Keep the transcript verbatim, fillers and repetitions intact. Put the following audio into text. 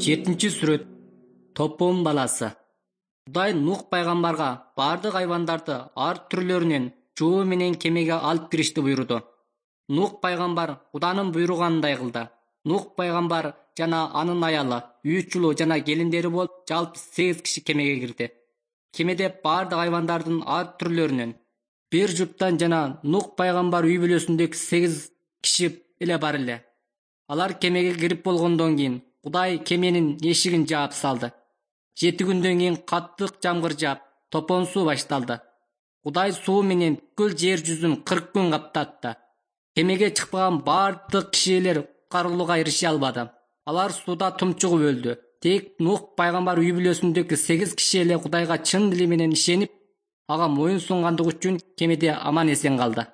жетинчи сүрөт. Топон баласы. Кудай Нух пайгамбарга бардык айвандарды ар түрлөрүнөн жоо менен кемеге алып киришти буйруду. Нух пайгамбар Куданын буйругандай кылды. Нух пайгамбар жана анын аялы, үч улу жана келиндери болуп жалпы сегиз киши кемеге кирди. Кемеде бардык айвандардын ар түрлөрүнөн бир жуптан жана Нух пайгамбар үй бүлөсүндөгү сегиз киши эле бар эле. Алар кемеге кирип болгондон кийин Кудай кеменин эшигин жаап салды. Жети күндөн кийин каттык жамгыр жаап, топон суу башталды. Кудай суу менен бүткүл жер жүзүн кырк күн каптатты. Кемеге чыкпаган бардык кишилер куткарылууга эрише албады. Алар сууда тумчугуп өлдү. Тек Нух пайгамбар үй бүлөсүндөгү сегиз киши эле Кудайга чын дили менен ишенип, ага моюн сунгандыгы үчүн кемеде аман эсен калды.